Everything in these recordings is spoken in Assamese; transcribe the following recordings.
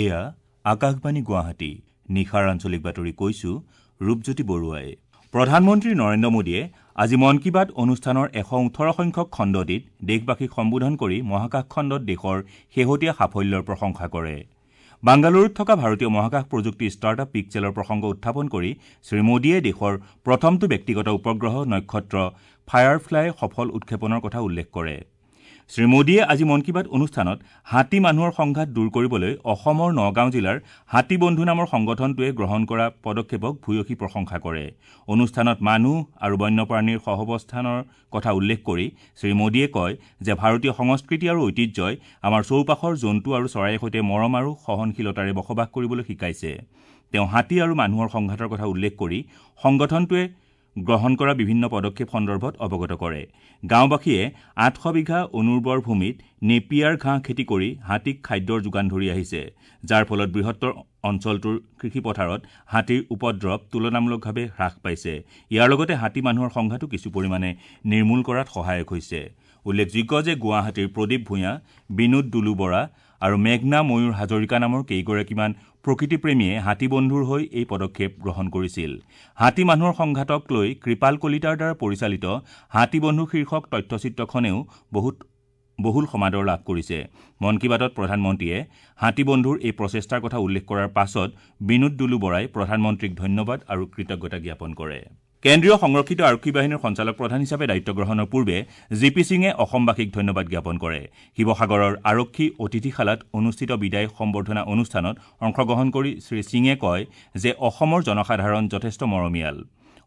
এয়া আকাশবাণী গুৱাহাটী। নিশাৰ আঞ্চলিক বাতৰি কৈছো ৰূপজ্যোতি বৰুৱাই। প্ৰধানমন্ত্ৰী নৰেন্দ্ৰ মোদীয়ে আজি মন কী বাত অনুষ্ঠানৰ 118 সংখ্যক খণ্ডটিত দেশবাসীক সম্বোধন কৰি মহাকাশ খণ্ডত দেশৰ শেহতীয়া সাফল্যৰ প্ৰশংসা কৰে। বাংগালুৰুত থকা ভাৰতীয় মহাকাশ প্ৰযুক্তি ষ্টাৰ্টআপ পিক্সেলৰ প্ৰসংগ উত্থাপন কৰি শ্ৰী মোদীয়ে দেশৰ প্ৰথমটো ব্যক্তিগত উপগ্ৰহ নক্ষত্ৰ ফায়াৰফ্লাইৰ সফল উৎক্ষেপণৰ কথা উল্লেখ কৰে। শ্ৰী মোদীয়ে আজি মন কী বাত অনুষ্ঠানত হাতী মানুহৰ সংঘাত দূৰ কৰিবলৈ অসমৰ নগাঁও জিলাৰ হাতী বন্ধু নামৰ সংগঠনটোৱে গ্ৰহণ কৰা পদক্ষেপক ভূয়সী প্ৰশংসা কৰে। অনুষ্ঠানত মানুহ আৰু বন্যপ্ৰাণীৰ সহাৱস্থানৰ কথা উল্লেখ কৰি শ্ৰী মোদীয়ে কয় যে ভাৰতীয় সংস্কৃতি আৰু ঐতিহ্যই আমাৰ চৌপাশৰ জন্তু আৰু চৰাইৰ সৈতে মৰম আৰু সহনশীলতাৰে বসবাস কৰিবলৈ শিকাইছে। তেওঁ হাতী আৰু মানুহৰ সংঘাতৰ কথা উল্লেখ কৰি সংগঠনটোৱে গ্ৰহণ কৰা বিভিন্ন পদক্ষেপ সন্দৰ্ভত অৱগত কৰে। গাঁওবাসীয়ে 800 বিঘা অনুৰ্বৰ ভূমিত নেপিয়াৰ ঘাঁহ খেতি কৰি হাতীক খাদ্যৰ যোগান ধৰি আহিছে, যাৰ ফলত বৃহত্তৰ অঞ্চলটোৰ কৃষিপথাৰত হাতীৰ উপদ্ৰৱ তুলনামূলকভাৱে হ্ৰাস পাইছে। ইয়াৰ লগতে হাতী মানুহৰ সংঘাতো কিছু পৰিমাণে নিৰ্মূল কৰাত সহায়ক হৈছে। উল্লেখযোগ্য যে গুৱাহাটীৰ প্ৰদীপ ভূঞা, বিনোদ দুলু বৰা আৰু মেঘনা ময়ূৰ হাজৰিকা নামৰ কেইগৰাকীমান প্ৰকৃতিপ্ৰেমীয়ে হাতী বন্ধুৰ হৈ এই পদক্ষেপ গ্ৰহণ কৰিছিল। হাতী মানুহৰ সংঘাতক লৈ কৃপাল কলিতাৰ দ্বাৰা পৰিচালিত হাতী বন্ধু শীৰ্ষক তথ্যচিত্ৰখনেও বহুল সমাদৰ লাভ কৰিছে। মন কী বাতত প্ৰধানমন্ত্ৰীয়ে হাতী বন্ধুৰ এই প্ৰচেষ্টাৰ কথা উল্লেখ কৰাৰ পাছত বিনোদ দুলু বৰাই প্ৰধানমন্ত্ৰীক ধন্যবাদ আৰু কৃতজ্ঞতা জ্ঞাপন কৰে। কেন্দ্ৰীয় সংৰক্ষিত আৰক্ষী বাহিনীৰ সঞ্চালক প্ৰধান হিচাপে দায়িত্ব গ্ৰহণৰ পূৰ্বে জি পি সিঙে অসমবাসীক ধন্যবাদ জ্ঞাপন কৰে। শিৱসাগৰৰ আৰক্ষী অতিথিশালাত অনুষ্ঠিত বিদায় সম্বৰ্ধনা অনুষ্ঠানত অংশগ্ৰহণ কৰি শ্ৰী সিঙে কয় যে অসমৰ জনসাধাৰণ যথেষ্ট মৰমীয়াল।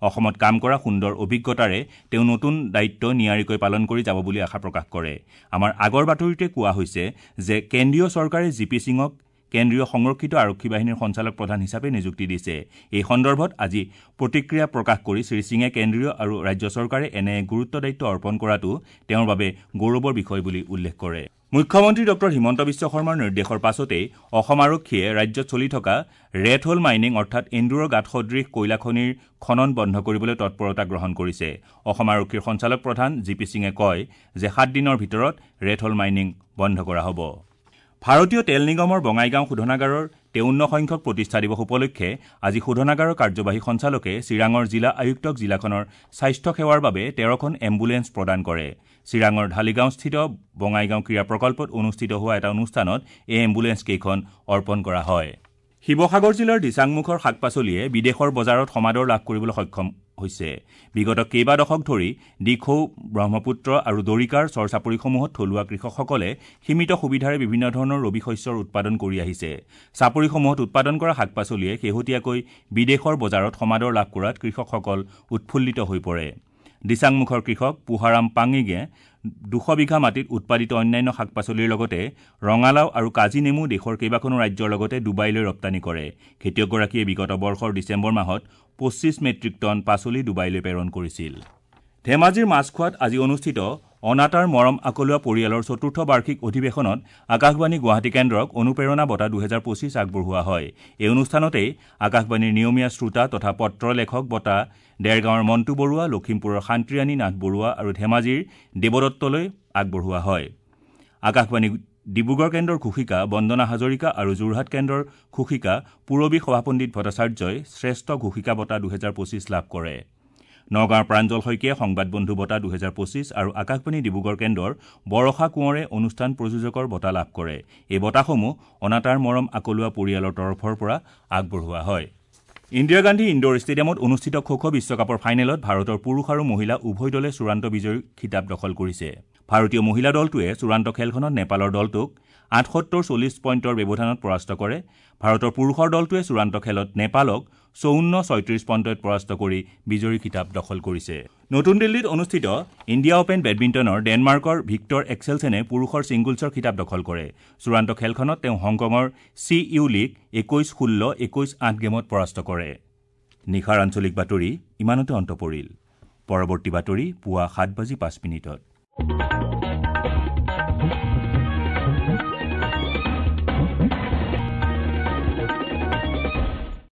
অসমত কাম কৰা সুন্দৰ অভিজ্ঞতাৰে তেওঁ নতুন দায়িত্ব নিয়াৰিকৈ পালন কৰি যাব বুলি আশা প্ৰকাশ কৰে। আমাৰ আগৰ বাতৰিতে কোৱা হৈছে যে কেন্দ্ৰীয় চৰকাৰে জি পি সিঙক কেন্দ্ৰীয় সংৰক্ষিত আৰক্ষী বাহিনীৰ সঞ্চালক প্ৰধান হিচাপে নিযুক্তি দিছে। এই সন্দৰ্ভত আজি প্ৰতিক্ৰিয়া প্ৰকাশ কৰি শ্ৰী সিঙে কেন্দ্ৰীয় আৰু ৰাজ্য চৰকাৰে এনে গুৰুত্ব দায়িত্ব অৰ্পণ কৰাটো তেওঁৰ বাবে গৌৰৱৰ বিষয় বুলি উল্লেখ কৰে। মুখ্যমন্ত্ৰী ডঃ হিমন্ত বিশ্ব শৰ্মাৰ নিৰ্দেশৰ পাছতেই অসম আৰক্ষীয়ে ৰাজ্যত চলি থকা ৰেট হোল মাইনিং অৰ্থাৎ এন্দুৰৰ গাঁত সদৃশ কয়লা খনিৰ খনন বন্ধ কৰিবলৈ তৎপৰতা গ্ৰহণ কৰিছে। অসম আৰক্ষীৰ সঞ্চালক প্ৰধান জি পি সিঙে কয় যে 7 দিনৰ ভিতৰত ৰেট হোল মাইনিং বন্ধ কৰা হ'ব। ভাৰতীয় তেল নিগমৰ বঙাইগাঁও শোধনাগাৰৰ 53 সংখ্যক প্ৰতিষ্ঠা দিৱস উপলক্ষে আজি শোধনাগাৰৰ কাৰ্যবাহী সঞ্চালকে চিৰাঙৰ জিলা আয়ুক্তক জিলাখনৰ স্বাস্থ্য সেৱাৰ বাবে 13খন এম্বুলেন্স প্ৰদান কৰে। চিৰাঙৰ ঢালিগাঁওস্থিত বঙাইগাঁও ক্ৰীড়া প্ৰকল্পত অনুষ্ঠিত হোৱা এটা অনুষ্ঠানত এই এম্বুলেন্স কেইখন অৰ্পণ কৰা হয়। শিৱসাগৰ জিলাৰ দিচাংমুখৰ শাক পাচলিয়ে বিদেশৰ বজাৰত সমাদৰ লাভ কৰিবলৈ সক্ষম হৈছে। বিগত কেইবা দশক ধৰি দিখৌ, ব্ৰহ্মপুত্ৰ আৰু দৰিকাৰ চৰ চাপৰিসমূহত থলুৱা কৃষকসকলে সীমিত সুবিধাৰে বিভিন্ন ধৰণৰ ৰবি শস্যৰ উৎপাদন কৰি আহিছে। চাপৰিসমূহত উৎপাদন কৰা শাক পাচলিয়ে শেহতীয়াকৈ বিদেশৰ বজাৰত সমাদৰ লাভ কৰাত কৃষকসকল উৎফুল্লিত হৈ পৰে। দিচাংমুখৰ কৃষক পুহাৰাম পাঙিগে 200 বিঘা মাটিত উৎপাদিত অন্যান্য শাক পাচলিৰ লগতে ৰঙালাও আৰু কাজি নেমু দেশৰ কেইবাখনো ৰাজ্যৰ লগতে ডুবাইলৈ ৰপ্তানি কৰে। খেতিয়কগৰাকীয়ে বিগত বৰ্ষৰ ডিচেম্বৰ মাহত 25 মেট্ৰিক টন পাচলি ডুবাইলৈ প্ৰেৰণ কৰিছিল। ধেমাজিৰ মাছখোৱাত আজি অনুষ্ঠিত অনাতাঁৰ মৰম আকলুৱা পৰিয়ালৰ চতুৰ্থ বাৰ্ষিক অধিৱেশনত আকাশবাণী গুৱাহাটী কেন্দ্ৰক অনুপ্ৰেৰণা বঁটা 2025 আগবঢ়োৱা হয়। এই অনুষ্ঠানতেই আকাশবাণীৰ নিয়মীয়া শ্ৰোতা তথা পত্ৰ লেখক বঁটা দেৰগাঁৱৰ মণ্টু বৰুৱা, লখিমপুৰৰ শান্তিৰাণী নাথ বৰুৱা আৰু ধেমাজিৰ দেৱদত্তলৈ আগবঢ়োৱা হয়। আকাশবাণী ডিব্ৰুগড় কেন্দ্ৰৰ ঘোষিকা বন্দনা হাজৰিকা আৰু যোৰহাট কেন্দ্ৰৰ ঘোষিকা পূৰবী সভাপণ্ডিত ভট্টাচাৰ্যই শ্ৰেষ্ঠ ঘোষিকা বঁটা 2025 লাভ কৰে। নগাঁৱৰ প্ৰাঞ্জল শইকীয়াই সংবাদ বন্ধু বঁটা 2025 আৰু আকাশবাণী ডিব্ৰুগড় কেন্দ্ৰৰ বৰষা কোঁৱৰে অনুষ্ঠান প্ৰযোজকৰ বঁটা লাভ কৰে। এই বঁটাসমূহ অনাতাঁৰ মৰম আকলুৱা পৰিয়ালৰ তৰফৰ পৰা আগবঢ়োৱা হয়। ইন্দিৰা গান্ধী ইণ্ডোৰ ষ্টেডিয়ামত অনুষ্ঠিত খো খো বিশ্বকাপৰ ফাইনেলত ভাৰতৰ পুৰুষ আৰু মহিলা উভয় দলে চূড়ান্ত বিজয়ীৰ খিতাপ দখল কৰিছে। ভাৰতীয় মহিলা দলটোৱে চূড়ান্ত খেলখনত নেপালৰ দলটোক 78-40 পইণ্টৰ ব্যৱধানত পৰাস্ত কৰে। ভাৰতৰ পুৰুষৰ দলটোৱে চূড়ান্ত খেলত নেপালক 54-36 পইণ্টত পৰাস্ত কৰি বিজয়ী খিতাপ দখল কৰিছে। নতুন দিল্লীত অনুষ্ঠিত ইণ্ডিয়া অপেন বেডমিণ্টনৰ ডেনমাৰ্কৰ ভিক্টৰ এক্সেলছেনে পুৰুষৰ ছিংগলছৰ খিতাপ দখল কৰে। চূড়ান্ত খেলখনত তেওঁ হংকঙৰ চি ইউ লিক 21-16, 21-8 গেমত পৰাস্ত কৰে। নিশাৰ আঞ্চলিক বাতৰি ইমানতে অন্ত পৰিল। পৰৱৰ্তী বাতৰি পুৱা 7:05।